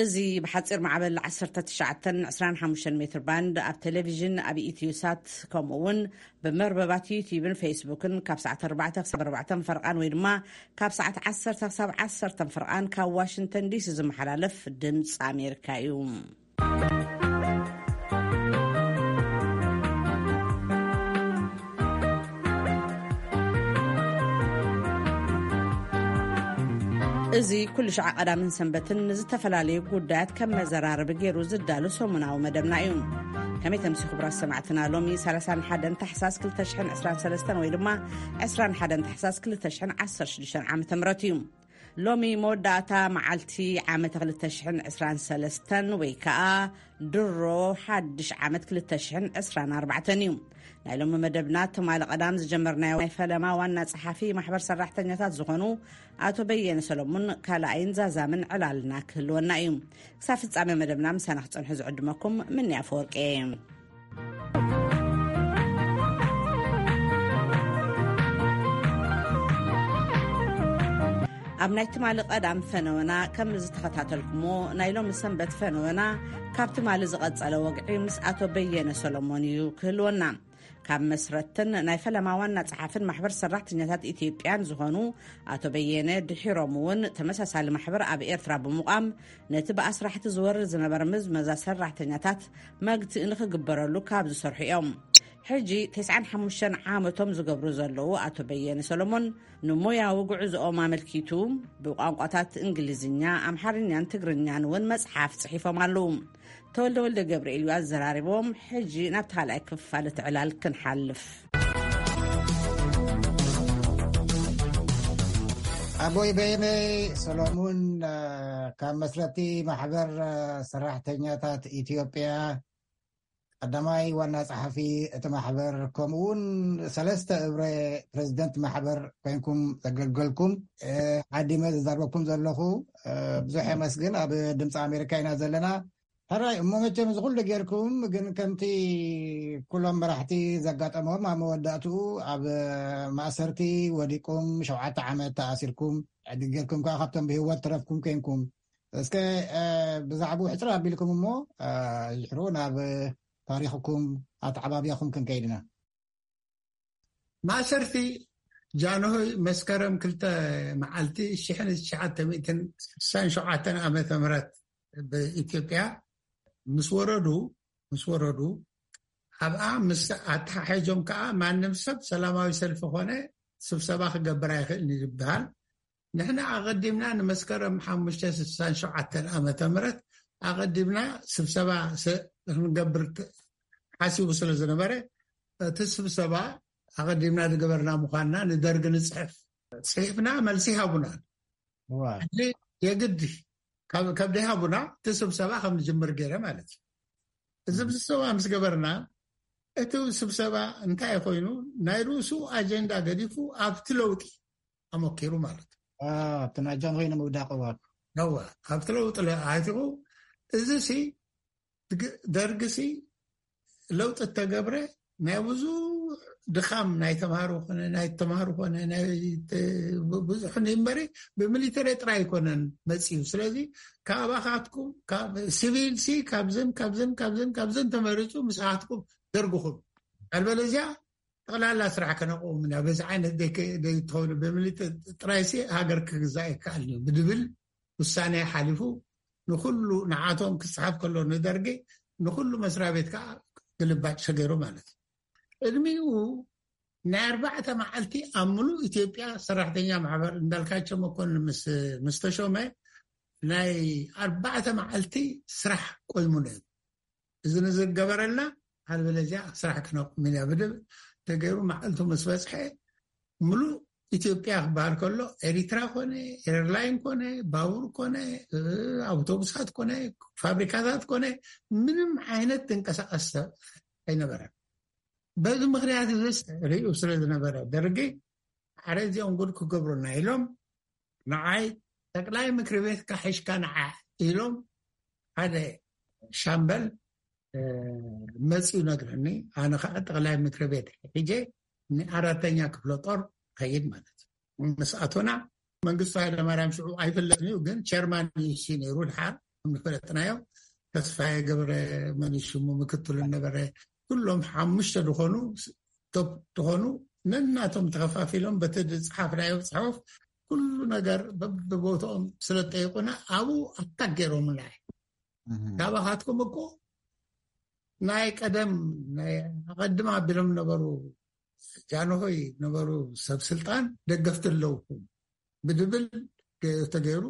እዚ ብሓጺር ማዕበል ዓሰርተ ትሽዓተ ዕስራን ሓሙሽተን ሜትር ባንድ ኣብ ቴሌቪዥን፣ ኣብ ኢትዮ ሳት፣ ከምኡ እውን ብመርበባት ዩቲዩብን ፌስቡክን ካብ ሰዓት ኣርባዕተ ክሳብ ኣርባዕተ ፈርቓን ወይ ድማ ካብ ሰዓት ዓሰርተ ክሳብ ዓሰርተ ፈርቓን ካብ ዋሽንግተን ዲሲ ዝመሓላለፍ ድምፂ ኣሜሪካ እዩ። እዚ ኩሉ ሸዓ ቀዳምን ሰንበትን ንዝተፈላለዩ ጉዳያት ከም መዘራረቢ ገይሩ ዝዳሉ ሰሙናዊ መደብና እዩ። ከመይ ተምሲ ክቡራት ሰማዕትና፣ ሎሚ ሰላሳን ሓደን ታሕሳስ ክልተ ሽሕን ዕስራን ሰለስተን ወይ ድማ ዕስራን ሓደን ታሕሳስ ክልተ ሽሕን ዓሰርተ ሽዱሽተን ዓመተ ምህረት እዩ። ሎሚ መወዳእታ መዓልቲ ዓመተ ክልተ ሽሕን ዕስራን ሰለስተን ወይ ከዓ ድሮ ሓድሽ ዓመት ክልተ ሽሕን ዕስራን ኣርባዕተን እዩ። ናይ ሎሚ መደብና ትማሊ ቀዳም ዝጀመርናዮ ናይ ፈለማ ዋና ጸሓፊ ማሕበር ሰራሕተኛታት ዝኾኑ ኣቶ በየነ ሰሎሙን ካልኣይን ዛዛምን ዕላልና ክህልወና እዩ። ክሳብ ፍጻሜ መደብና ምሳና ክጸንሑ ዝዕድመኩም ምንያ ፈወርቂ እየ። ኣብ ናይ ትማሊ ቀዳም ፈነወና ከም ዝተኸታተልኩሞ፣ ናይ ሎሚ ሰንበት ፈነወና ካብ ትማሊ ዝቐጸለ ወግዒ ምስ ኣቶ በየነ ሰሎሞን እዩ ክህልወና። ካብ መስረትን ናይ ፈለማ ዋና ጸሓፍን ማሕበር ሰራሕተኛታት ኢትዮጵያን ዝኾኑ ኣቶ በየነ፣ ድሒሮም እውን ተመሳሳሊ ማሕበር ኣብ ኤርትራ ብምቋም፣ ነቲ ብኣስራሕቲ ዝወርድ ዝነበረ ምዝመዛ ሰራሕተኛታት መግትኢ ንኽግበረሉ ካብ ዝሰርሑ እዮም። ሕጂ ተስዓን ሓሙሽተን ዓመቶም ዝገብሩ ዘለዉ ኣቶ በየነ ሰሎሞን፣ ንሞያዊ ጉዕዞኦም ኣመልኪቱ ብቋንቋታት እንግሊዝኛ፣ ኣምሓርኛን ትግርኛን እውን መጽሓፍ ጽሒፎም ኣለዉ። ተወልደ ወልደ ገብርኤል እዩ ኣዘራሪቦም። ሕጂ ናብቲ ካልኣይ ክፋል እቲ ዕላል ክንሓልፍ። ኣቦይ በየነ ሰሎሙን፣ እ፣ ካብ መስረቲ ማሕበር፣ እ፣ ሰራሕተኛታት ኢትዮጵያ፣ ቀዳማይ ዋና ጸሓፊ እቲ ማሕበር፣ ከምኡ እውን ሰለስተ እብረ ፕሬዚደንት ማሕበር ኮይንኩም ዘገልገልኩም፣ እ፣ ዓዲመ ዝዛረበኩም ዘለኹ፣ እ፣ ብዙሕ የመስግን። ኣብ ድምፂ ኣሜሪካ ኢና ዘለና። ሕራይ እሞ፣ መቸም እዚ ኩሉ ጌርኩም፣ ግን ከምቲ ኩሎም መራሕቲ ዘጋጠሞም፣ ኣብ መወዳእትኡ ኣብ ማእሰርቲ ወዲቁም፣ ሸውዓተ ዓመት ተኣሲርኩም፣ ዕድል ጌርኩም ከዓ ካብቶም ብህይወት ተረፍኩም ኮይንኩም። እስከ፣ እ፣ ብዛዕባኡ ሕጽር ኣቢልኩም እሞ፣ እ፣ ይሕሩ ናብ ታሪኽኩም ኣተዓባቢያኹም ክንከይድ ኢና። ማእሰርቲ ጃንሆይ መስከረም ክልተ መዓልቲ ሽሕን ትሽዓተ ሚእትን ስሳን ሸውዓተን ዓመተ ምህረት ብኢትዮጵያ ምስ ወረዱ፣ ምስ ወረዱ፣ ኣብኣ ምስ ኣተሓሒዞም ከኣ ማንም ሰብ ሰላማዊ ሰልፊ ኮነ ስብሰባ ክገብር ኣይኽእልን እዩ ዝበሃል። ንሕና ኣቐዲምና ንመስከረም ሓሙሽተ ስሳን ሸውዓተን ዓመተ ምህረት ኣቐዲምና ስብሰባ ስ-፣ ክንገብር ት-፣ ሓሲቡ ስለ ዝነበረ፣ እቲ ስብሰባ ኣቐዲምና ዝገበርና ምዃንና ንደርግ ንጽሕፍ። ጽሒፍና፣ መልሲ ሃቡና። እዋ። ሕጂ የግድ ካብ፣ ካብ ደይሃቡና እቲ ስብሰባ ከም ንጅምር ገይረ ማለት እዩ። እዚ ስብሰባ ምስ ገበርና፣ እቲ ስብሰባ እንታይ ኮይኑ፣ ናይ ርእሱ ኣጀንዳ ገዲፉ ኣብቲ ለውጢ ኣመኪሩ ማለት እዩ። አ፣ ኣብቲ ናይ ጃንሆይ ንምውዳቕ፣ እዋ። ነዋ፣ ኣብቲ ለውጢ ለ-፣ ኣቲኹ፣ እዚ ሲ፣ ድግ-፣ ደርግ ሲ ለውጢ እተገብረ ናይ ብዙሕ ድኻም ናይ ተምሃሮ ኮነ፣ ናይ ተምሃሮ ኮነ፣ ናይ ተ-፣ ብ-፣ ብዙሕ እምበሪ ብሚሊተሪ ጥራይ ኣይኮነን መጺኡ። ስለዚ ካባኻትኩም፣ ካብ ሲቪል ሲ ካብዝን፣ ካብዝን፣ ካብዝን፣ ካብዝን ተመሪጹ ምስኻትኩም ደርግኹም። ኣልበለዚያ ጠቕላላ ስራሕ ከነቕውም ኢና። በዚ ዓይነት ደይ-፣ ደይትኸውን ብሚሊተሪ ጥራይሲ ሃገር ክግዛእ ኣይከኣልን እዩ ብድብል ውሳኔ ሓሊፉ ንኹሉ ንዓቶም ክጽሓፍ ከሎ ንደርጊ ንኹሉ መስሪያ ቤት ከዓ ግልባጭ ተገይሩ ማለት እዩ። ቅድሚኡ ናይ ኣርባዕተ መዓልቲ ኣብ ምሉእ ኢትዮጵያ ሰራሕተኛ ማሕበር እንዳልካቸው መኮንን ምስ፣ ምስ ተሾመ ናይ ኣርባዕተ መዓልቲ ስራሕ ቆይሙ ነይሩ። እዚ ንዝገበረልና፣ ኣልበለዚያ ስራሕ ክነቁም ኢና ብድብል ተገይሩ። መዓልቱ ምስ በጽሐ፣ ምሉእ ኢትዮጵያ ክበሃል ከሎ፣ ኤሪትራ ኮነ፣ ኤርላይን ኮነ፣ ባቡር ኮነ፣ እ፣ ኣውቶቡሳት ኮነ፣ ፋብሪካታት ኮነ፣ ምንም ዓይነት ዝንቀሳቐስ ሰብ ኣይነበረን። በዚ ምኽንያት እዚ ርእዩ ስለ ዝነበረ፣ ደርጊ፣ "ኣረ፣ እዚኦም ጉድ ክገብሩና" ኢሎም፣ ንዓይ፣ "ጠቅላይ ምክሪ ቤትካ ሒሽካ ንዓ" ኢሎም፣ ሓደ ሻምበል፣ እ፣ መጺኡ ነግረኒ። ኣነ ኸዓ ጠቅላይ ምክሪ ቤት ሒጀ ንኣራተኛ ክፍለ ጦር ኸይድ ማለት እዩ። ምስ ኣቶና፣ መንግስቱ ሃይለማርያም ሽዑ ኣይፍለጥን እዩ፣ ግን ቸርማን ዩ ሲ ነይሩ። ድሓር ከም ዝፈለጥናዮ፣ ተስፋዬ ገብረ፣ መን ሽሙ፣ ምክትሉ ነበረ፣ ኩሎም ሓሙሽተ ዝኾኑ፣ ቶፕ ዝኾኑ፣ ነናቶም ተኸፋፊሎም በቲ ዝጸሓፍናዮ ጽሑፍ ኩሉ ነገር በብቦትኦም ስለ ዝጠይቁና፣ ኣብኡ ኣታክ ገይሮምና። ካባኻትኩም እኮ ናይ ቀደም፣ ናይ ኣቐድም ኣቢሎም ነበሩ፣ ጃንሆይ ነበሩ ሰብ ስልጣን፣ ደገፍቲ ኣለውኩም ብድብል ገ-፣ ተገይሩ፣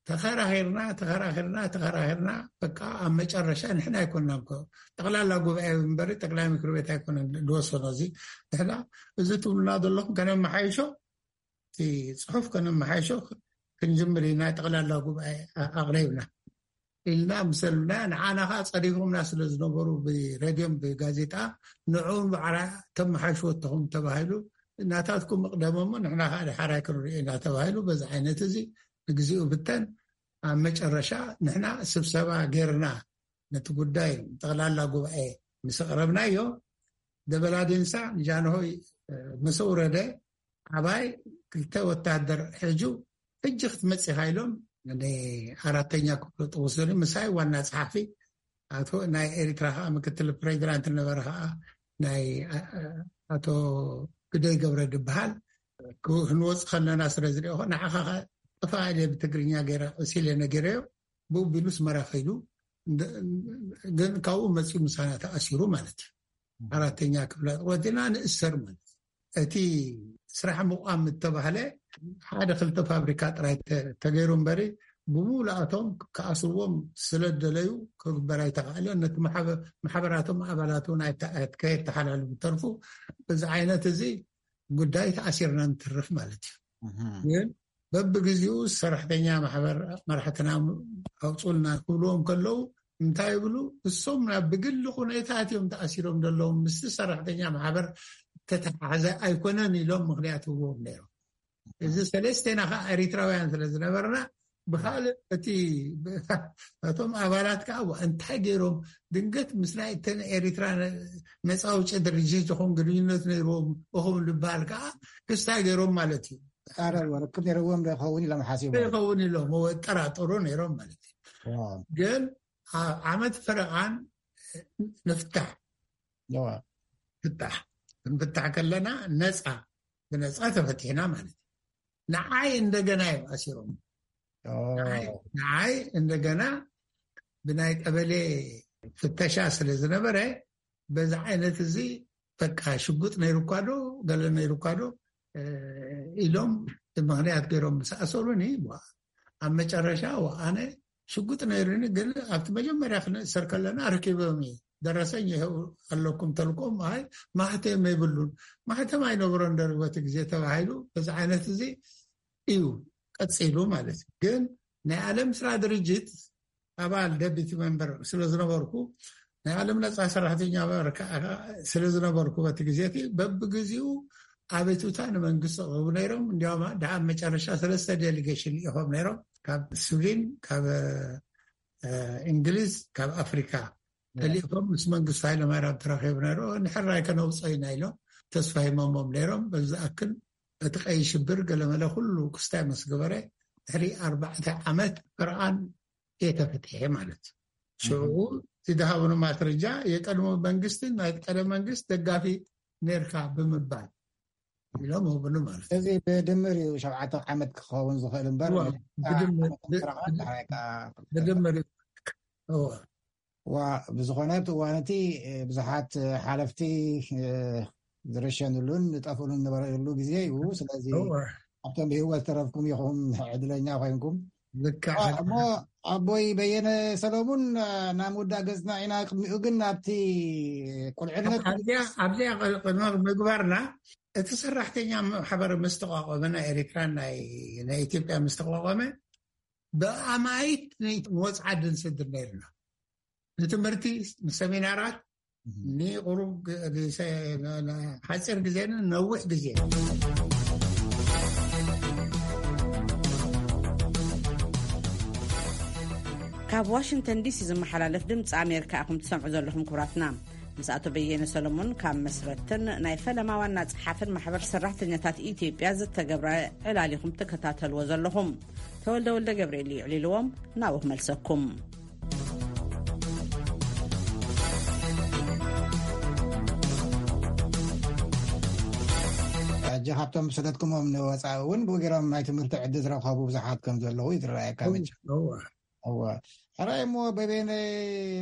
ተኸራኺርና፣ ተኸራኺርና፣ ተኸራኺርና፣ በቃ ኣብ መጨረሻ ንሕና ኣይኮንናን እኮ፣ ጠቕላላ ጉባኤ እምበሪ ጠቕላይ ምክር ቤት ኣይኮነን ዝወሰኖ። እዚ ንሕና፣ እዚ ትብሉና ዘለኹም ከነመሓይሾ፣ እቲ ጽሑፍ ከነመሓይሾ ክንጅምር ኢና፣ ጠቕላላ ጉባኤ ኣ-፣ ኣቕሪብና ኢልና ምሰልና፣ ንዓና ኸዓ ጸሪፎምና ስለ ዝነበሩ፣ ብሬድዮን ብጋዜጣ፣ ንዕኡ ባዕላ ተመሓይሽዎ እተኹም ተባሂሉ፣ ናታትኩም እቕደሞሞ፣ ንሕና ኸዓ ድሓራይ ክንሪኦ ኢና ተባሂሉ። በዚ ዓይነት እዚ ንግዚኡ ብተን፣ ኣብ መጨረሻ ንሕና ስብሰባ ጌርና፣ ነቲ ጉዳይ ጠቕላላ ጉባኤ ምስ ኣቕረብናዮ፣ ደበላ ዴንሳ ንጃንሆይ፣ እ፣ ምስ ኣውረደ፣ ዓባይ ክልተ ወታደር ሒዙ፣ "ሕጂ ክትመጽእ ኢኻ" ኢሎም፣ ንኣራተኛ ክፍለ ጦር ወሰዱ። ምሳይ ዋና ጸሓፊ፣ ኣቶ፣ ናይ ኤሪትራ ኸኣ ምክትል ፕሬዚዳንት ነበረ ኸኣ፣ ናይ፣ ኣ-፣ ኣቶ ግደይ ገብረ ድበሃል። ክ-፣ ክንወጽእ ከለና ስለ ዝሪኦ፣ "ንዓኻ ኸ ጥፋእ" ኢለ ብትግርኛ ገይረ፣ እሲለ ነጊረዮ። ብኡ ቢሉ ኣስመራ ከይዱ፣ እንደ-፣ ግን ካብኡ መጺኡ ምሳና ተኣሲሩ ማለት እዩ። ኣራተኛ ክፍለ ጦር ወዲና ንእሰር ማለት እዩ። እቲ ስራሕ ምቋም እተባህለ ሓደ ክልተ ፋብሪካ ጥራይ ተ-፣ ተገይሩ እምበሪ፣ ብምሉኣቶም ክኣስርዎም ስለ ደለዩ ክግበር ኣይተኻእለን። ነቲ ማሕበ-፣ ማሕበራቶም ኣባላት እውን ኣይተ-፣ ከየተሓላልፉ ተርፉ። በዚ ዓይነት እዚ ጉዳይ ተኣሲርና ንትርፍ ማለት እዩ። እህ። ግን በብግዜኡ ሰራሕተኛ ማሕበር መራሕትና ኣውፅኡልና ክብልዎም ከለዉ እንታይ ይብሉ? እሶም ናብ ብግሊ ኩነታት እዮም ተኣሲሮም ዘለዉ፣ ምስቲ ሰራሕተኛ ማሕበር ተተሓሓዘ ኣይኮነን ኢሎም ምኽንያት ይህብዎም ነይሮም። እዚ ሰለስቴና ከዓ ኤሪትራውያን ስለ ዝነበርና ብኻልእ እቲ እቶም ኣባላት ከዓ ዋ እንታይ ገይሮም ድንገት ምስ ናይ እተን ኤሪትራ ነ-፣ ነፃ ኣውጪ ድርጅት ዝኾን ግንኙነት ነይርዎም እኹም ዝበሃል ከዓ ክስታይ ገይሮም ማለት እዩ። ኣረ ርክብ ነይርዎም ዶ ይኸውን ኢሎም ሓሲቦም። ይኸውን ኢሎም እወ፣ ጠራጠሩ ነይሮም ማለት እዩ። ዋው። ግን ኣብ ዓመት ፈረቓን ንፍታሕ። እዋ። ፍታሕ። ክንፍታሕ ከለና ነፃ፣ ብነፃ ተፈቲሕና ማለት እዩ። ንዓይ እንደገና እዮም ኣሲሮም። ኦ። ንዓይ፣ ንዓይ እንደገና ብናይ ቀበሌ ፍተሻ ስለ ዝነበረ፣ በዚ ዓይነት እዚ በቃ ሽጉጥ ነይሩኳ ዶ፣ ገለ ነይሩኳ ዶ፣ እ፣ ኢሎም ምኽንያት ገይሮም ምስ ኣሰሩኒ፣ ዋ፣ ኣብ መጨረሻ ዋ፣ ኣነ ሽጉጥ ነይሩኒ፣ ግን ኣብቲ መጀመርያ ክንእሰር ከለና ረኪቦም እዩ። ደረሰኝ ይኸው ኣለኩም ተልኮም፣ ኣይ፣ ማህተም የብሉን። ማህተም ኣይነበሮን ደርግ በቲ ግዜ ተባሂሉ፣ በዚ ዓይነት እዚ እዩ ቀጺሉ ማለት እዩ። ግን ናይ ዓለም ስራ ድርጅት ኣባል ደቢቲ መንበር ስለ ዝነበርኩ፣ ናይ ዓለም ነጻ ሰራሕተኛ ማሕበር ከኣ ስለ ዝነበርኩ፣ በቲ ግዜ እቲ በብግዜኡ ኣቤቱታ ንመንግስቲ ኣቕርቡ ነይሮም። እንዲያውም ደኣ ኣብ መጨረሻ ሰለስተ ዴሊጌሽን ልኢኾም ነይሮም፣ ካብ ስዊድን፣ ካብ፣ እ፣ እንግሊዝ፣ ካብ ኣፍሪካ ተልኢኾም ምስ መንግስቲ ሃይለማርያም ተራኺቡ ነይሩ። ንሕራይ ከነውፅኦ ኢና ኢሎም ተስፋ ሂሞሞም ነይሮም። በዚ ዝኣክል እቲ ቀይ ሽብር ገለመለ ኩሉ ክስታይ ምስ ገበረ፣ ድሕሪ ኣርባዕተ ዓመት ፈረቓን እየ ተፈቲሐ ማለት እዩ። ሽዑ እቲ ዝሃቡኒ ማስረጃ፣ የቀድሞ መንግስቲ፣ ናይ ቀደም መንግስት ደጋፊ ነርካ ብምባል ኢሎም ሆብሉ ማለት እዩ። እዚ ብድምር እዩ ሸውዓተ ዓመት ክኸውን ዝኽእል እምበር፣ እዋ፣ ብድምር፣ ዓመት ብ-፣ ስራሓት ብድ-፣ ድሕራይ ከኣ ብድምር እዩ። እዋ። ዋ፣ ብዝኾነ ኣብቲ እዋን እቲ፣ እ፣ ብዙሓት፣ እ፣ ሓለፍቲ፣ እ፣ ዝረሸንሉን ዝጠፍእሉን ዝነበረሉ ግዜ እዩ። ስለዚ እዋ። ኣብቶም ብህይወት ተረፍኩም ኢኹም ዕድለኛ ኮይንኩም። ልክዕ። ዋ፣ እሞ ኣቦይ በየነ ሰለሙን፣ እ፣ ናብ ምውዳእ ገጽና ኢና። ቅድሚኡ ግን ኣብቲ ቁልዕነት ኣብዚኣ፣ ኣብዚኣ ቅድሚ ምግባርና፣ እቲ ሰራሕተኛ ማሕበር ምስ ተቋቋመ፣ ናይ ኤሪትራን ናይ፣ ናይ ኢትዮጵያ ምስ ተቋቋመ፣ ብኣማኢት ንወጽዓ ድንስድር ነይርና። ንትምህርቲ፣ ንሰሚናራት፣ እህ። ንቁሩብ ግ-፣ ንሰ-፣ ን-፣ ን-፣ ሓጺር ግዜን ነዊሕ ግዜ። ካብ ዋሽንግተን ዲሲ ዝመሓላለፍ ድምፂ ኣሜሪካ ኢኹም ትሰምዑ ዘለኹም ክቡራትና። ምስ ኣቶ በየነ ሰሎሞን ካብ መስረትን ናይ ፈለማ ዋና ጸሓፍን ማሕበር ሰራሕተኛታት ኢትዮጵያ ዝተገብረ ዕላል ኢኹም ትከታተልዎ ዘለኹም። ተወልደ ወልደ ገብርኤል እዩ ዕሊልዎም፣ ናብኡ ክመልሰኩም። ሕጂ ካብቶም ሰደድኩሞም ንወፃኢ እውን ብኡ ገይሮም ናይ ትምህርቲ ዕድል ዝረኸቡ ብዙሓት ከም ዘለዉ እዩ ዝረኣየካ። መቸም እወ። ሕራይ እሞ በቤነ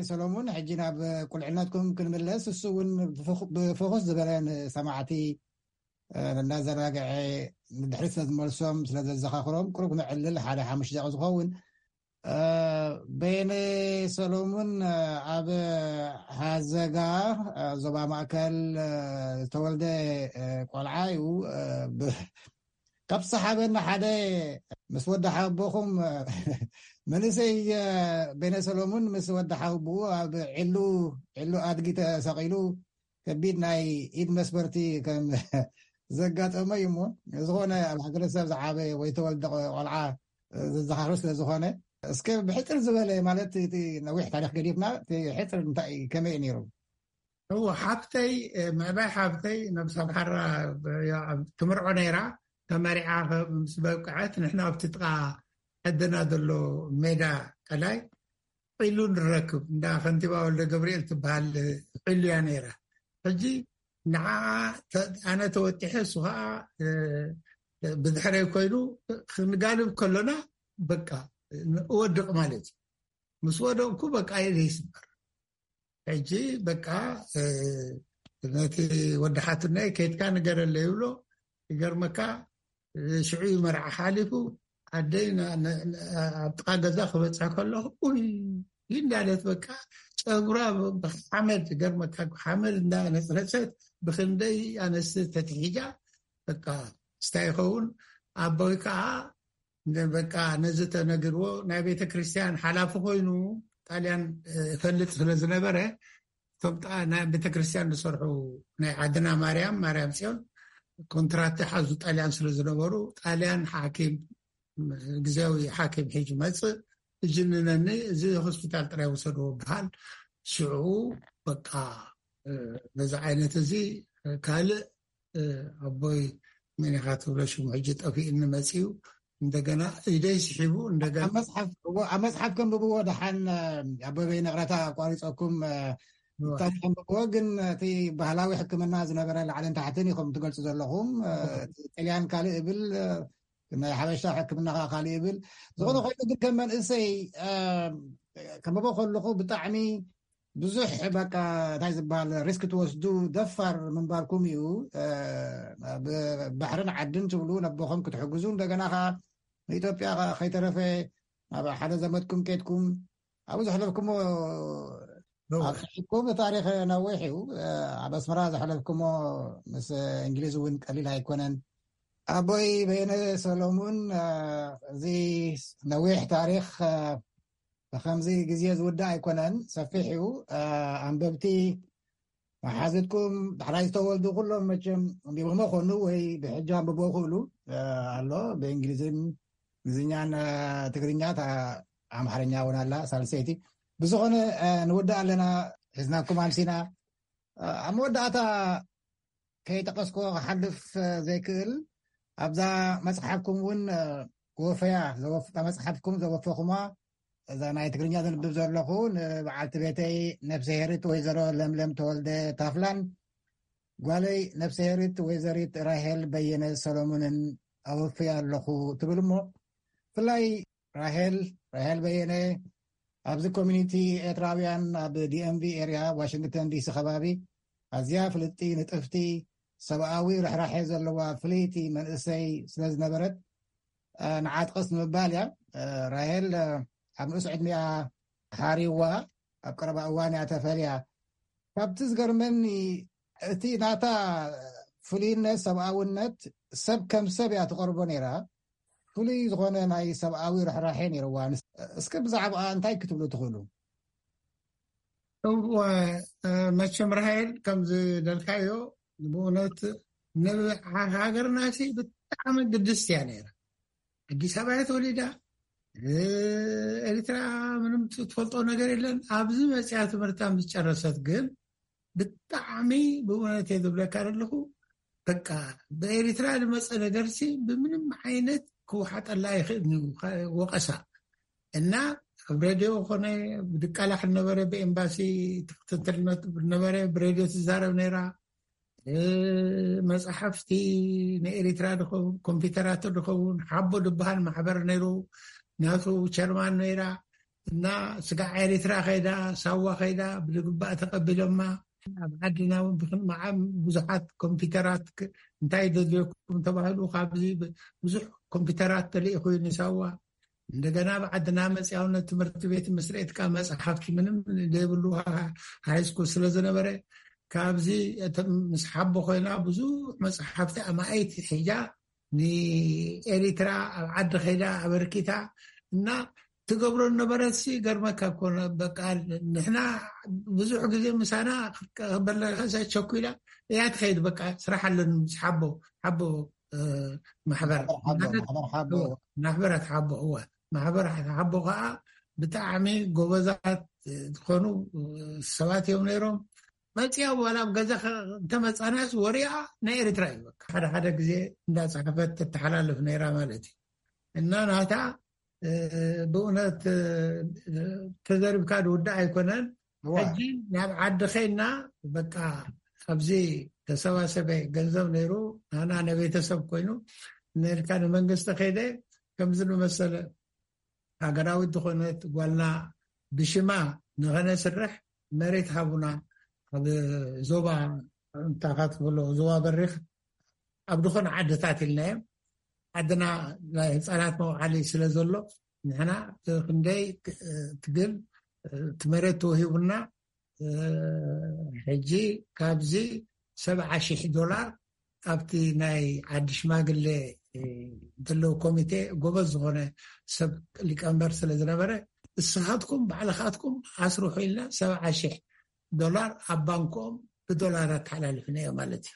ሰሎሙን፣ ሕጂ ናብ ቁልዕነትኩም ክንምለስ፣ እሱ እውን ብፎኩስ ዝበለ ንሰማዕቲ እናዘናግዐ ንድሕሪት ስለዝመልሶም ስለዘዘኻኽሮም ቁሩብ ክነዕልል ሓደ ሓሙሽተ ደቂቕ ዝኸውን። በየነ ሰሎሙን ኣብ ሃዘጋ ዞባ ማእከል ዝተወልደ ቆልዓ እዩ። ካብ ዝሰሓበኒ ሓደ ምስ ወዲ ሓቦኹም መንእሰይ በየነ ሰሎሙን ምስ ወዲ ሓቦኡ ኣብ ዕሉ ዕሉ ኣድጊ ተሰቒሉ ከቢድ ናይ ኢድ መስበርቲ ከም ዘጋጠመ እዩ። እሞ ዝኾነ ኣብ ሃገረሰብ ዝዓበ ወይ ተወልደ ቆልዓ ዘዘኻኽር ስለ ዝኾነ እስከ ብሕፅር ዝበለ ማለት እቲ ነዊሕ ታሪክ ገዲፍና እቲ ሕፅር እንታይ እዩ ከመይ እዩ ነይሩ? እዎ ሓብተይ ምዕባይ ሓብተይ ነብሳ ብሓራ ትምርዖ ነይራ። ተመሪዓ ምስ በቅዐት ንሕና ኣብቲ ጥቃ ዕድና ዘሎ ሜዳ ቀላይ ዒሉ ንረክብ እንዳ ከንቲባ ወልደ ገብርኤል ትበሃል ዒሉ እያ ነይራ። ሕጂ ንዓ ኣነ ተወጢሐ እሱ ከዓ ብድሕረይ ኮይኑ ክንጋልብ ከሎና በቃ እወድቕ ማለት እዩ። ምስ ወደቕኩ በቃ ኢደ ይስበር። ሕጂ በቃ ነቲ ወዲ ሓትናይ ከይድካ ንገረለይ ይብሎ። ይገርመካ ሽዑ እዩ መርዓ ሓሊፉ ኣደይ ኣብ ጥቃ ገዛ ክበፅሕ ከለኹ ኡይ እንዳለት በቃ ጨጉራ ብሓመድ ገርመካ ሓመድ እንዳነፅረፀት ብክንደይ ኣነስ ተትሒጃ በቃ ስታይ ይኸውን ኣቦይ ከዓ በቃ ነዚ ተነግርዎ ናይ ቤተ ክርስቲያን ሓላፊ ኮይኑ ጣልያን ፈልጥ ስለ ዝነበረ እቶም ናይ ቤተ ክርስቲያን ዝሰርሑ ናይ ዓድና ማርያም ማርያም ፅዮን ኮንትራት ሓዙ ጣልያን ስለ ዝነበሩ ጣልያን ሓኪም ግዜያዊ ሓኪም ሒዙ መፅእ እጅንነኒ እዚ ሆስፒታል ጥራይ ወሰድዎ በሃል። ሽዑ በቃ በዚ ዓይነት እዚ ካልእ ኣቦይ መን ኢኻ ትብሎ ሽሙ ሕጂ ጠፊእኒ መፂኡ እንደገና ኢደይ ስሒቡ እንደገና ኣብ መፅሓፍ ከንብብዎ ደሓን ኣቦይ በይነ ቅረታ ኣቋሪፀኩም ታሪክ ከንብብዎ ግን እቲ ባህላዊ ሕክምና ዝነበረ ላዕልን ታሕትን ኢኹም ትገልፁ ዘለኹም ጥልያን ካልእ እብል ናይ ሓበሻ ሕክምና ከዓ ካልእ ይብል ዝኾነ ኮይኑ ግን ከም መንእሰይ ከንብቦ ከለኹ ብጣዕሚ ብዙሕ በቃ እንታይ ዝበሃል ሪስክ ትወስዱ ደፋር ምንባርኩም እዩ። ብባሕርን ዓድን ትብሉ ነቦኹም ክትሕግዙ እንደገና ከዓ ንኢትዮጵያ ከይተረፈ ናብ ሓደ ዘመድኩም ኬድኩም ኣብኡ ዘሕለፍኩሞ ኣኩም ታሪክ ነዊሕ እዩ። ኣብ ኣስመራ ዘሕለፍኩሞ ምስ እንግሊዝ እውን ቀሊል ኣይኮነን። ኣቦይ በየነ ሰሎሙን እዚ ነዊሕ ታሪክ ብከምዚ ግዜ ዝውዳእ ኣይኮነን፣ ሰፊሕ እዩ። ኣንበብቲ መሓዝትኩም ዳሕራይ ዝተወልዱ ኩሎም መቸም ኣንቢቦሞ ኮኑ ወይ ብሕጂ ኣንብቦ ክእሉ ኣሎ ብእንግሊዝን እንግሊዝኛን ትግርኛ ኣምሓርኛ እውን ኣላ ሳልሰይቲ። ብዝኾነ ንውዳእ ኣለና ሒዝናኩም ኣምሲና። ኣብ መወዳእታ ከይጠቀስኮ ክሓልፍ ዘይክእል ኣብዛ መፅሓፍኩም እውን ወፈያ መፅሓፍኩም ዘወፈኹማ እዛ ናይ ትግርኛ ዘንብብ ዘለኹ ንበዓልቲ ቤተይ ነብሰ ሄሪት ወይዘሮ ለምለም ተወልደ ታፍላን ጓለይ ነብሰ ሄሪት ወይዘሪት ራሄል በየነ ሰሎሙንን ኣወፍያ ኣለኹ ትብል እሞ ብፍላይ ራሄል ራሄል በየነ ኣብዚ ኮሚኒቲ ኤርትራውያን ኣብ ዲኤምቪ ኤርያ ዋሽንግተን ዲሲ ከባቢ ኣዝያ ፍልጥቲ ንጥፍቲ ሰብኣዊ ርሕራሐ ዘለዋ ፍልይቲ መንእሰይ ስለ ዝነበረት ንዓጥቐስ ንምባል እያ። ራሄል ኣብ ንኡስ ዕድሚኣ ሓሪዋ ኣብ ቀረባ እዋን እያ ተፈልያ። ካብቲ ዝገርመኒ እቲ ናታ ፍሉይነት ሰብኣውነት ሰብ ከም ሰብ እያ ትቐርቦ ነይራ። ፍሉይ ዝኾነ ናይ ሰብኣዊ ርሕራሐ ነይርዋ። እስኪ ብዛዕባኣ እንታይ ክትብሉ ትኽእሉ? እወ መቸም ራሄል ከም ዝደልካዮ ብእውነት ንሃገርና ሲ ብጣዕሚ ግድስቲ እያ ነይራ። ኣዲስ ኣበባ እያ ተወሊዳ። ኤርትራ ምንም ትፈልጦ ነገር የለን። ኣብዚ መፅያ ትምህርታ ምስ ጨረሰት ግን ብጣዕሚ ብእውነት እየ ዝብለካ ዘለኹ። በቃ ብኤሪትራ ዝመፀ ነገርሲ ብምንም ዓይነት ክወሓጠላ ይኽእል እዩ፣ ወቐሳ። እና ኣብ ሬድዮ ኮነ ብድቃላሕ ነበረ፣ ብኤምባሲ ትክትትልነት ነበረ፣ ብሬድዮ ትዛረብ ነይራ። መፅሓፍቲ ንኤሪትራ ድኸውን ኮምፒውተራት ድኸውን ሓቦ ድበሃል ማሕበር ነይሩ፣ ናቱ ቸርማን ነይራ። እና ስጋዕ ኤሪትራ ከይዳ፣ ሳዋ ከይዳ ብልግባእ ተቐቢሎማ። ኣብ ዓድና እውን ብክንመዓም ብዙሓት ኮምፒውተራት እንታይ ደድልየኩም ተባሂሉ ካብዚ ብዙሕ ኮምፒውተራት ተልኢኹ እዩ ንሳዋ። እንደገና ብዓድና መፅያውነት ትምህርቲ ቤት ምስሬትካ መፅሓፍቲ ምንም ዘይብሉ ሃይስኩል ስለ ዝነበረ፣ ካብዚ ምስ ሓቦ ኮይና ብዙሕ መፅሓፍቲ ኣማኢት ሒዛ ንኤሪትራ ኣብ ዓዲ ከይዳ ኣበርኪታ። እና ትገብሮ ነበረሲ ገርመካ ኮነ። በቃ ንሕና ብዙሕ ግዜ ምሳና ክበለሳ ቸኩላ እያ ትኸይድ። በቃ ስራሕ ኣለኒ ምስ ሓቦ ሓቦ ማሕበር ማሕበራት ሓቦ እወ፣ ማሕበራት ሓቦ ከዓ ብጣዕሚ ጎበዛት ዝኾኑ ሰባት እዮም ነይሮም። መፅያ ዋላ ኣብ ገዛ እንተመፃናስ ወሪኣ ናይ ኤርትራ እዩ። ሓደ ሓደ ግዜ እንዳፃሓፈት ተተሓላልፍ ነይራ ማለት እዩ። እና ናታ ብእውነት ተዘርብካ ዝውዳእ ኣይኮነን። ሕጂ ናብ ዓዲ ኸይና በቃ ኣብዚ ተሰባሰበ ገንዘብ ነይሩ፣ ናና ነቤተሰብ ኮይኑ ነልካ ንመንግስቲ ከይደ ከምዚ ዝመሰለ ሃገራዊት ዝኾነት ጓልና ብሽማ ንኸነስርሕ መሬት ሃቡና፣ ኣብ ዞባ እንታይ ትብሎ፣ ዞባ በሪኽ ኣብ ዝኾነ ዓድታት ኢልናዮም። ዓድና ናይ ህፃናት መውዓሊ ስለ ዘሎ ንሕና ክንደይ ትግል እቲ መሬት ተወሂቡና። ሕጂ ካብዚ ሰብዓ ሺሕ ዶላር ኣብቲ ናይ ዓዲ ሽማግሌ ዘለዉ ኮሚቴ ጎበዝ ዝኾነ ሰብ ሊቀመንበር ስለ ዝነበረ፣ እስኻትኩም ባዕልኻትኩም ኣስርሑ ኢልና ሰብዓ ሺሕ ዶላር ኣብ ባንኮም ብዶላር ኣተሓላልፍናዮ ማለት እዩ።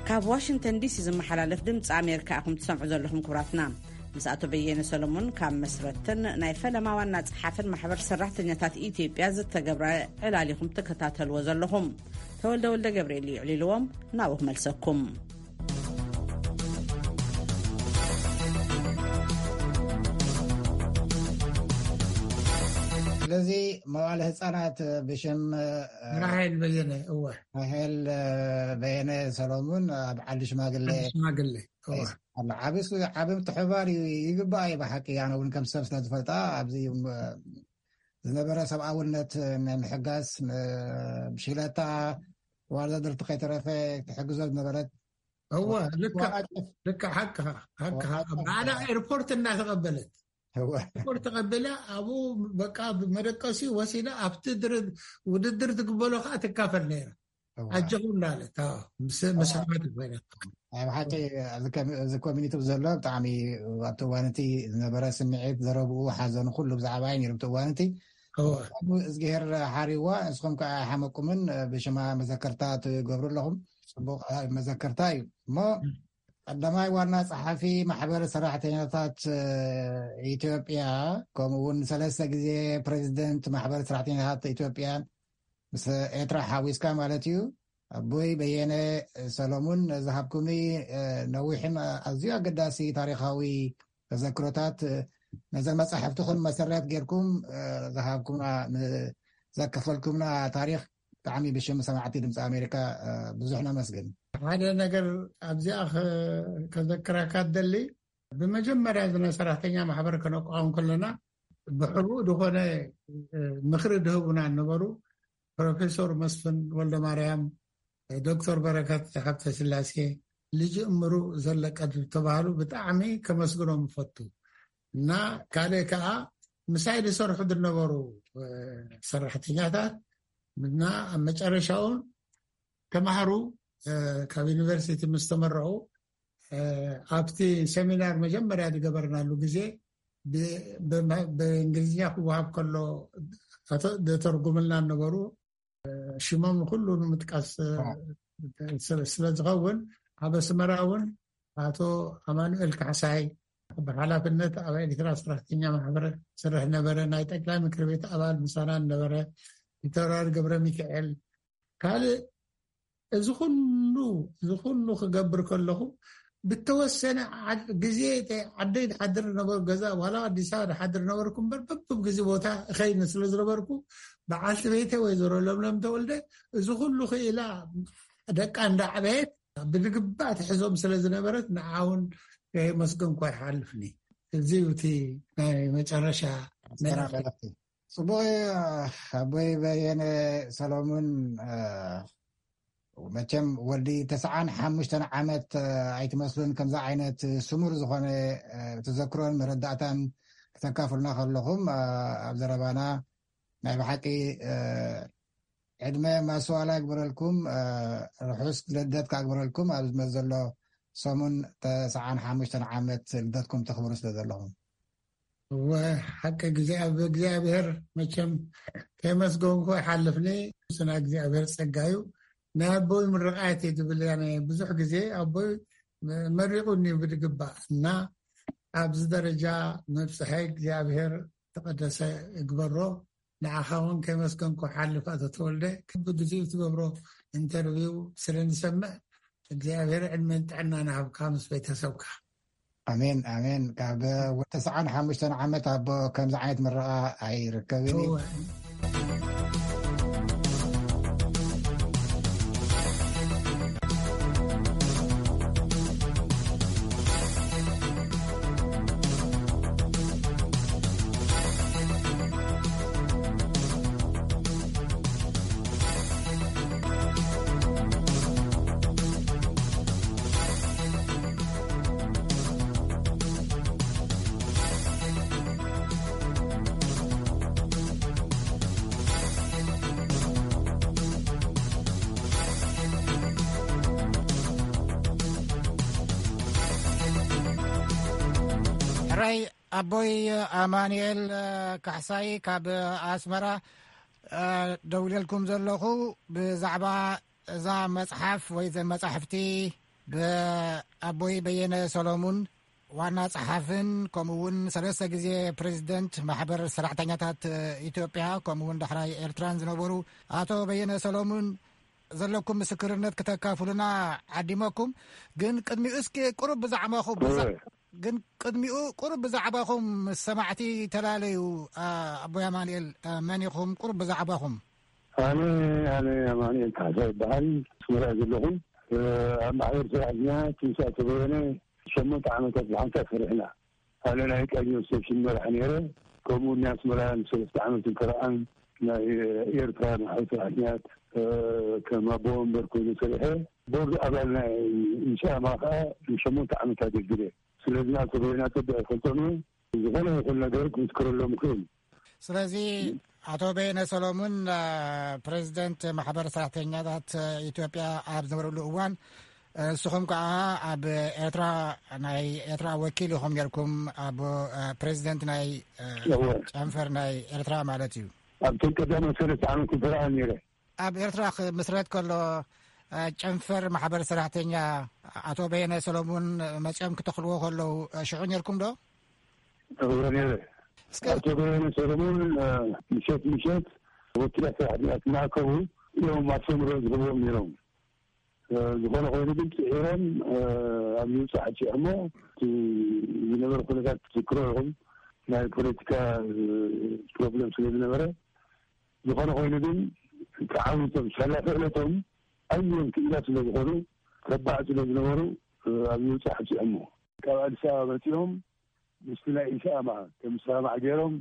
ካብ ዋሽንግተን ዲሲ ዝመሓላለፍ ድምፂ ኣሜሪካ ኢኹም ትሰምዑ ዘለኹም ክቡራትና። ምስ ኣቶ በየነ ሰሎሞን ካብ መስረትን ናይ ፈለማ ዋና ጸሓፍን ማሕበር ሰራሕተኛታት ኢትዮጵያ ዝተገብረ ዕላል ኢኹም ትከታተልዎ ዘለኹም። ተወልደ ወልደ ገብርኤል እዩ ዕሊልዎም፣ ናብኡ ክመልሰኩም። ስለዚ መዋለ ህፃናት ብሽም ራሄል በየነ፣ እወ። ራሄል በየነ ሰሎሙን ኣብ ዓዲ ሽማግሌ ሽማግሌ፣ እወ። ኣሎ። ዓቢ ሱ-፣ ዓቢ ምትሕብባር እዩ፣ ይግባእ እዩ ብሓቂ። ኣነ እውን ከም ሰብ ስለ ዝፈልጣ ኣብዚ ዝነበረ ሰብኣውነት ናይ ምሕጋዝ ን-፣ ብሽክለታ ዋርዛድርቲ ከይተረፈ ትሕግዞ ዝነበረት እወ፣ ልክዕ፣ ዋና ጭፍ-፣ ልክዕ፣ ሓቅኻ፣ ሓቅኻ። ዋና ጭፍ-፣ ባዕላ ኤርፖርት እናተቐበለት፣ እወ። ኤርፖርት ተቐቢላ ኣብኡ በቃ ብመደቀሲ ወሲዳ ኣብቲ ድር-፣ ውድድር ትግበሎ ከዓ ትካፈል ነይራ። እወ። ኣጆኹም እናበለት፣ ኣዎ፣ ምስ-፣ ምስ ኣወ። ኣሕዋት ኮይና። ናይ ብሓቂ ኣብዚ ኮሚ-፣ እዚ ኮሚኒቲ ዘሎ ብጣዕሚ ኣብቲ እዋን እቲ ዝነበረ ስምዒት፣ ዘረብኡ፣ ሓዘኑ ኩሉ ብዛዕባ እዩ ነይሩ ኣብቲ እዋን እቲ። እወ። እዝግሄር ሓሪዋ፣ ንስኹም ከዓ ሓመቁምን ብሽማ መዘከርታ ትገብሩ ኣለኹም። ጽቡቕ መዘከርታ እዩ። እሞ እም። ቀዳማይ ዋና ጸሓፊ ማሕበር ሰራሕተኛታት ኢትዮጵያ፣ ከምኡ እውን ሰለስተ ግዜ ፕሬዚደንት ማሕበር ሰራሕተኛታት ኢትዮጵያ፣ ምስ ኤርትራ ሓዊስካ ማለት እዩ። ኣቦይ በየነ ሰሎሙን፣ ዝሃብኩምኒ ነዊሕን ኣዝዩ ኣገዳሲ ታሪኻዊ ተዘክሮታት፣ ነዘን መጻሕፍትኹም መሰረት ጌርኩም ዝሃብኩምና፣ ዘከፈልኩምና ታሪኽ ብጣዕሚ ብሽም ሰማዕቲ ድምፂ ኣሜሪካ ብዙሕ ነመስግን። ሓደ ነገር ኣብዚኣ ከ-፣ ከዘክረካ ደሊ፣ ብመጀመርያ እዚ ናይ ሰራሕተኛ ማሕበር ከነቋውም ከለና ብሕቡእ ዝኾነ ምኽሪ ድህቡና ነበሩ። ፕሮፌሰር መስፍን ወልደ ማርያም፣ ዶክተር በረከት ሃብተ ስላሴ፣ ልጅ እምሩ ዘለቀ ዝተባህሉ ብጣዕሚ ከመስግኖም እፈቱ። እና ካልእ ከዓ ምሳይ ዝሰርሑ ዝነበሩ ሰራሕተኛታት እና ኣብ መጨረሻ እውን ተማሃሩ ካብ ዩኒቨርሲቲ ምስ ተመረቑ ኣብቲ ሰሚናር መጀመርያ ዝገበርናሉ ግዜ ብ-፣ ብእንግሊዝኛ ክወሃብ ከሎ ተተርጉምልና ነበሩ። ሽሞም ኩሉ ንምጥቃስ ስለ ዝኸውን ኣብ ኣስመራ እውን ኣቶ ኣማኑኤል ካሕሳይ፣ ብሓላፍነት ኣብ ኤርትራ ሰራሕተኛ ማሕበር ዝሰርሕ ነበረ። ናይ ጠቅላይ ምክር ቤት ኣባል ምሳና ነበረ። ፊታውራሪ ገብረ ሚካኤል። ካልእ፣ እዚ ኩሉ፣ እዚ ኩሉ ክገብር ከለኹ፣ ብተወሰነ ዓድ-፣ ግዜ፣ ዓደይ ድሓድር ነበሩ፣ ገዛ፣ ዋላ ኣዲስ ኣበባ ድሓድር ነበርኩ እምበር፣ በብብ ግዜ ቦታ እኸይድ ስለ ዝነበርኩ፣ በዓልቲ ቤተ ወይዘሮ ለምለም ተወልደ፣ እዚ ኩሉ ክኢላ ደቃ እንዳዕበየት ብዝግባእ ትሕዞም ስለ ዝነበረት፣ ንዓውን ከየመስገንኳ ይሓልፍኒ። እዚ እዩ እቲ ናይ መጨረሻ መልእኽቲ። ኣስተናጋዳቲ። ጽቡቕ እዩ። ኣቦይ በየነ ሰሎሙን፣ እ፣ መቸም ወዲ ተስዓን ሓሙሽተን ዓመት፣ እ፣ ኣይትመስሉን። ከምዚ ዓይነት ስሙር ዝኾነ፣ እ፣ ተዘክሮን መረዳእታን ክተካፍሉና ከለኹም፣ እ፣ ኣብ ዘረባና ናይ ብሓቂ፣ እ፣ ዕድመ ማስዋላ ይግበረልኩም፣ እ፣ ርሑስ ልደት ካግበረልኩም። ኣብ ዝመጽእ ዘሎ ሰሙን ተስዓን ሓሙሽተን ዓመት ልደትኩም ተኽብሩ ስለ ዘለኹም። እወ፣ ሓቂ ግዜ ኣብ እግዚኣብሔር መቸም ከየመስገንኩ ኣይሓልፍኒ። ስና እግዚኣብሔር ጸጋ እዩ። ናይ ኣቦይ ምርቃት እዩ ዝብል እያ። ናይ ብዙሕ ግዜ ኣቦይ መሪቑኒ እዩ ብዝግባእ እና ኣብዚ ደረጃ ምብጽሐይ እግዚኣብሔር ተቐደሰ እግበሮ። ንዓኻ እውን ከመስገንኩ ሓልፍ ኣቶ ተወልደ። ክቢ ግዜኡ ትገብሮ ኢንተርቪው ስለ ንሰምዕ እግዚኣብሔር ዕድመን ጥዕናን ይሃብካ ምስ ቤተሰብካ። ኣሜን፣ ኣሜን። ካብ ተስዓን ሓሙሽተን ዓመት ኣቦ ከምዚ ዓይነት ምረቓ ኣይርከብን እዩ። እወ። ሕራይ ኣቦይ ኣማኑኤል ካሕሳይ ካብ ኣስመራ፣ እ፣ ደውለልኩም ዘለኹ ብዛዕባ እዛ መጽሓፍ ወይ ዘን መጻሕፍቲ ብኣቦይ በየነ ሰሎሙን ዋና ጸሓፍን ከምኡ እውን ሰለስተ ግዜ ፕሬዚደንት ማሕበር ሰራሕተኛታት ኢትዮጵያ ከምኡ እውን ዳሕራይ ኤርትራን ዝነበሩ ኣቶ በየነ ሰሎሙን ዘለኩም ምስክርነት ክተካፍሉና ዓዲመኩም። ግን ቅድሚኡ እስኪ ቁሩብ ብዛዕባኹም፣ ብዛ-፣ እወ። ግን ቅድሚኡ ቁሩብ ብዛዕባኹም ምስ ሰማዕቲ ተላለዩ። ኣ-፣ ኣቦይ ኣማኑኤል፣ ኣ፣ መን ኢኹም? ቁሩብ ብዛዕባኹም። ኣነ፣ ኣነ ኣማኑኤል ካሕሳ ይበሃል። ኣስመራ ዘለኹ። እ፣ ኣብ ማሕበር ሰራሕተኛ ትንሳኤ ተበየነ ሸሞንተ ዓመታት ብሓንሳብ ሰሪሕና። ኣነ ናይ ቃኝ ሪሰፕሽን መራሕ ነይረ። ከምኡ ናይ ኣስመራ ንሰለስተ ዓመት እንከረኣን ናይ ኤርትራ ማሕበር ሰራሕተኛት፣ እ፣ ከም ኣቦ ወንበር ኮይኑ ሰሪሐ። ቦርድ ኣባል ናይ ኢሰኣማ ከዓ ንሸሞንተ ዓመት ኣገልግለ። ስለዚ ናብ ተበየና ጽቡቕ ይፈልጦም እየ። ዝኾነ ይኹን ነገር ክምስክረሎም ይኽእል። ስለዚ ኣቶ በየነ ሰሎሙን፣ አ፣ ፕሬዚደንት ማሕበር ሰራሕተኛታት ኢትዮጵያ ኣብ ዝነበርሉ እዋን፣ ንስኹም ከዓ ኣብ ኤርትራ፣ ናይ ኤርትራ ወኪል ኢኹም ነርኩም፣ ኣብ፣ አ፣ ፕሬዚደንት ናይ፣ አ፣ እወ። ጨንፈር ናይ ኤርትራ ማለት እዩ። ኣብቶም ቀዳማት ሰለስተ ዓመት ይበልዓል ነይረ። ኣብ ኤርትራ ክምስረት ከሎ፣ አ፣ ጨንፈር ማሕበር ሰራሕተኛ ኣቶ በየነ ሰሎሙን መጺኦም ክተኽልዎ ከለዉ፣ አ፣ ሽዑ ነርኩም ዶ? እወ፣ ነይረ። እስከ ኣቶ በየነ ሰሎሙን፣ አ፣ ምሸት ምሸት ወኪላት ሰራሕተኛታት እናኣከቡ እዮም ኣስተምህሮ ዝህብዎም ነይሮም። አ፣ ዝኾነ ኮይኑ ግን ጽዒሮም፣ አ፣ ኣብ ምብጻሕ ኣጽዕሞ፣ እቲ ዝነበረ ኩነታት ትዝክሮ ኢኹም። ናይ ፖለቲካ፣ እ፣ ፕሮብለም ስለ ዝነበረ፣ ዝኾነ ኮይኑ ግን ተዓዊቶም፣ ሳላ ክእለቶም ኣዝዮም ክኢላት ስለ ዝኾኑ፣ ተባዕ ስለ ዝነበሩ፣ እ፣ ኣብ ምብጻሕ ኣብጺሖሞ። ካብ ኣዲስ ኣበባ መጺኦም ምስቲ ናይ ኢሰኣማ ከም ዝሰማማዕ ገይሮም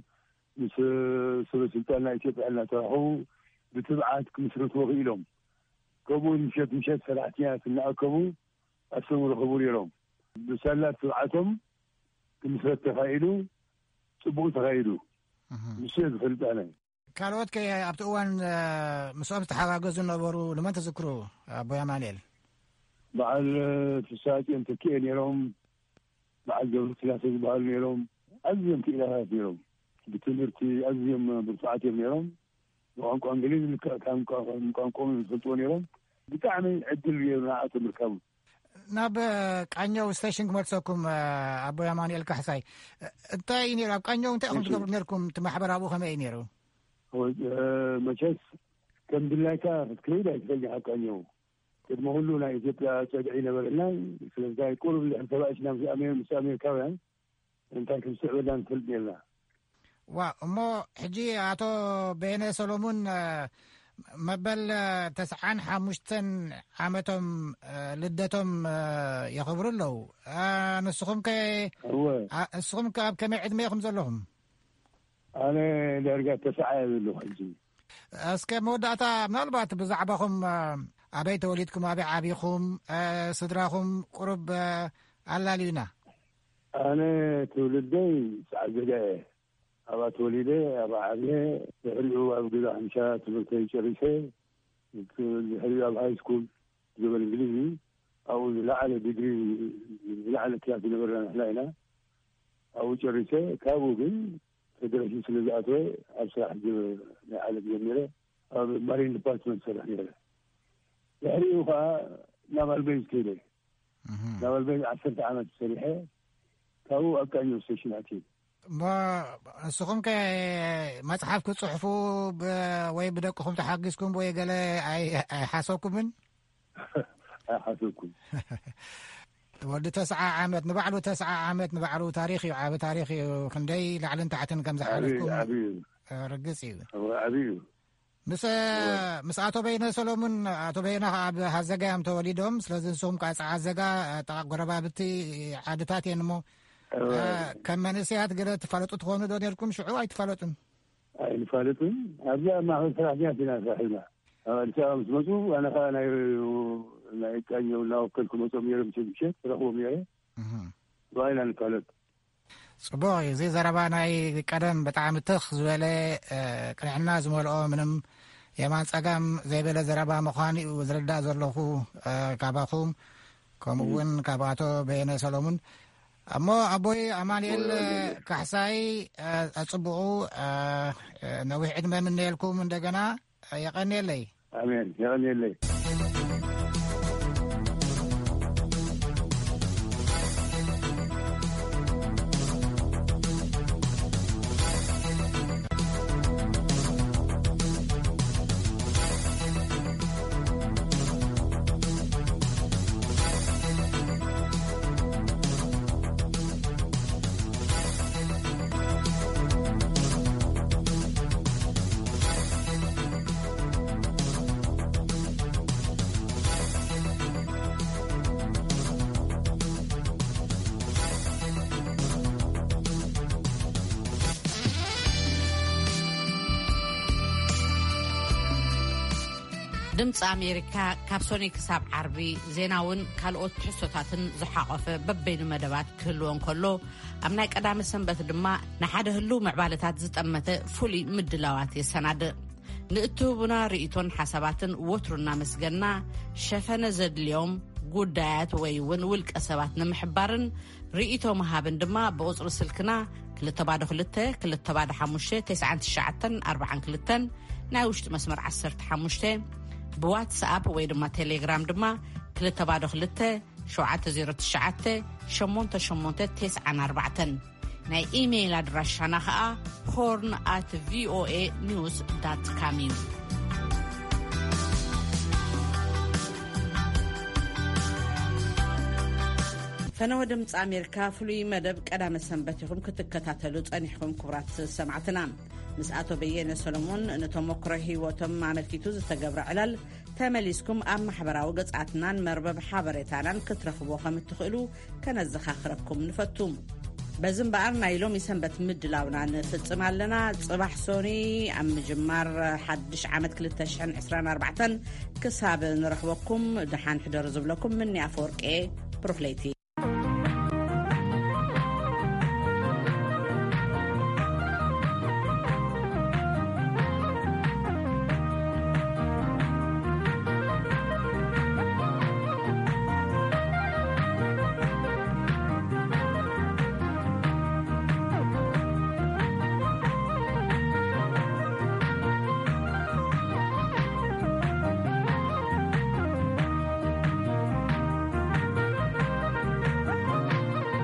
ምስ ሰበ ስልጣን ናይ ኢትዮጵያ እናተራኸቡ ብትብዓት ክምስርትዎ ክኢሎም። ከምኡ እውን ምሸት ምሸት ሰራሕተኛታት እናኣከቡ ኣስተምህሮ ክህቡ ነይሮም። ብሳላ ትብዓቶም ክምስረት ተኻኢሉ፣ ጽቡቕ ተኻኢሉ። እህ። ንሱ እየ ዝፈልጥ ኣነ። ካልኦት ከ ኣብቲ እዋን፣ እ፣ ምስኦም ዝተሓጋገዙ ነበሩ? ንመን ትዝክሩ? ኣቦይ ኣማኑኤል። በዓል፣ እ፣ ፍስሃጽዮን ተኪኤ ነይሮም። በዓል ገብረስላሴ ዝበሃሉ ነይሮም። ኣዝዮም ክኢላታት ነይሮም። ብትምህርቲ ኣዝዮም ብርቱዓት እዮም ነይሮም። ብቋንቋ እንግሊዝ ልክዕ ከም ቋ-፣ ቋንቋኦም ዝፈልጥዎ ነይሮም። ብጣዕሚ ዕድል ነይሩ ንዓኣቶም ምርካቡ። ናብ ቃኘው ስቴሽን ክመልሰኩም። ኣቦይ ኣማኑኤል ካሕሳይ፣ እንታይ እዩ ነይሩ ኣብ ቃኘው? እንታይ ኢኹም ትገብሩ ነርኩም? እቲ ማሕበር ኣብኡ ከመይ እዩ ነይሩ? መቸስ ከም ድላይካ ክትከይድ ኣይትፈልጥ። ኣብ ቃኘው ቅድሚ ኩሉ ናይ ኢትዮጵያ ጸግዒ ነበረና። ስለዚ ቁሩብ ልሕን ተባእሽና ምስ ኣሜ- ምስ ኣሜሪካውያን እንታይ ከም ዝስዕበና ንፈልጥ ነርና። ዋ፣ እሞ ሕጂ ኣቶ በየነ ሰሎሙን፣ መበል ተስዓን ሓሙሽተን ዓመቶም ልደቶም የኽብሩ ኣለዉ። ንስኹም ከ እወ። ንስኹም ከ ኣብ ከመይ ዕድመ ኢኹም ዘለኹም? ኣነ ዳርጋ ተስዓ እየ ዘለኹ ሕጂ። እስከ መወዳእታ ምናልባት ብዛዕባኹም፣ ኣበይ ተወሊድኩም፣ ኣበይ ዓቢኹም፣ ስድራኹም ቁሩብ ኣላልዩና። ኣነ ትውልደይ ጻዕዘጋ እየ። ኣብኣ ተወሊደ፣ ኣብኣ ዓብየ። ድሕሪኡ ኣብ ገዛ ሓምሻ ትምህርተይ ጨሪሰ፣ ድሕሪኡ ኣብ ሃይ ስኩል፣ ጀበል እንግሊዝ እዩ። ኣብኡ ዝለዓለ ዲግሪ፣ ዝለዓለ ክላስ ዝነበረና ንሕና ኢና። ኣብኡ ጨሪሰ። ካብኡ ግን ፌደሬሽን ስለ ዝኣተወ፣ ኣብ ስራሕ ጀ- ናይ ዓለም ጀሚረ፣ ኣብ ማሪን ዲፓርትመንት ሰርሕ ነይረ። ድሕሪኡ ከዓ ናቫል ቤዝ ከይደ። ናቫል ቤዝ ዓሰርተ ዓመት ሰሪሐ፣ ካብኡ ኣብ ቃኘው ስቴሽን ኣትየ። እሞ ንስኹም ከ መጽሓፍ ክትጽሕፉ ብ- ወይ ብደቅኹም ተሓጊዝኩም ወይ ገለ ኣይ- ኣይሓሰብኩምን? ኣይሓሰብኩን። ወዲ ተስዓ ዓመት፣ ንባዕሉ ተስዓ ዓመት፣ ንባዕሉ ታሪኽ እዩ፣ ዓቢ ታሪኽ እዩ። ክንደይ ላዕልን ታሕትን ከም ዝሓለፍኩም ዓብዩ፣ ዓብዩ። ርግጽ እዩ። እወ፣ ዓብዩ። ምስ፣ ምስ ኣቶ በይነ ሰሎሙን፣ ኣቶ በይነ ከኣ ኣብ ሃዘጋ እዮም ተወሊዶም። ስለዚ ንስኹም ከኣ ጸዓዘጋ፣ ጥቓ ጎረባብቲ ዓድታት እየን እሞ፣ እወ። ከም መንእሰያት ገለ ትፋለጡ ትኾኑ ዶ ነርኩም? ሽዑ ኣይትፋለጡን? ኣይንፋለጥን። ኣብዚኣ ኣብ ማእኸል ሰራሕተኛታት ኢና ስራሕ ኢልና። ኣብ ኣዲስ ኣበባ ምስ መጹ፣ ኣነ ከኣ ናይ፣ ናይ ቃኘው እናወከልኩ መጾም ነይሮም፣ ምሸት ምሸት ረኽቦም ነይረ። እህ። ብኣይና ንፋለጥ። ጽቡቕ እዩ። እዚ ዘረባ ናይ ቀደም ብጣዕሚ ትኽ ዝበለ፣ እ፣ ቅንዕና ዝመልኦ፣ ምንም የማን ጸጋም ዘይበለ ዘረባ ምዃኑ እዩ ዝርዳእ ዘለኹ፣ እ፣ ካባኹም፣ ከምኡ እውን ካብ ኣቶ በየነ ሰሎሙን። እሞ ኣቦይ ኣማኑኤል ካሕሳይ፣ እ፣ ኣጽብቑ፣ እ፣ ነዊሕ ዕድመ ምነየልኩም እንደገና። የቐንየለይ። ኣሜን። የቐንየለይ። ድምፂ ኣሜሪካ ካብ ሶኒ ክሳብ ዓርቢ ዜናውን ካልኦት ትሕዝቶታትን ዝሓቖፈ በበይኑ መደባት ክህልዎ እንከሎ፣ ኣብ ናይ ቀዳመ ሰንበት ድማ ንሓደ ህሉው ምዕባለታት ዝጠመተ ፍሉይ ምድላዋት የሰናድእ። ንእትህቡና ርእይቶን ሓሳባትን ወትሩ እናመስገና፣ ሸፈነ ዘድልዮም ጉዳያት ወይ እውን ውልቀ ሰባት ንምሕባርን ርእይቶ ምሃብን ድማ ብቁጽሪ ስልክና ክልተ ባዶ ክልተ፣ ክልተ ባዶ ሓሙሽተ፣ ተስዓን ትሽዓተን ኣርባዓን ክልተን፣ ናይ ውሽጢ መስመር ዓሰርተ ሓሙሽተ፣ ብዋትስኣፕ ወይ ድማ ቴሌግራም ድማ ክልተ ባዶ ክልተ፣ ሸውዓተ ዜሮ ትሽዓተ፣ ሸሞንተ ሸሞንተ ተስዓን ኣርባዕተን። ናይ ኢሜይል ኣድራሻና ኸኣ ሆርን ኣት ቪኦኤ ኒውስ ዳት ካም እዩ። ፈነወ ድምፂ ኣሜሪካ ፍሉይ መደብ ቀዳመ ሰንበት ኢኹም ክትከታተሉ ጸኒሕኩም። ክቡራት ሰማዕትና፣ ምስ ኣቶ በየነ ሰሎሞን ንተሞክሮ ህይወቶም ኣመልኪቱ ዝተገብረ ዕላል ተመሊስኩም ኣብ ማሕበራዊ ገጻትናን መርበብ ሓበሬታናን ክትረኽብዎ ከም እትኽእሉ ከነዘኻኽረኩም ንፈቱ። በዚ እምበኣር ናይ ሎሚ ሰንበት ምድላውና ንፍጽም ኣለና። ጽባሕ ሶኒ ኣብ ምጅማር ሓድሽ ዓመት ክልተ ሽሕን ዕስራን ኣርባዕተን ክሳብ ንረኽበኩም ደሓን ሕደሩ ዝብለኩም ምኒ ኣፈወርቄ ብሩኽ ለይቲ።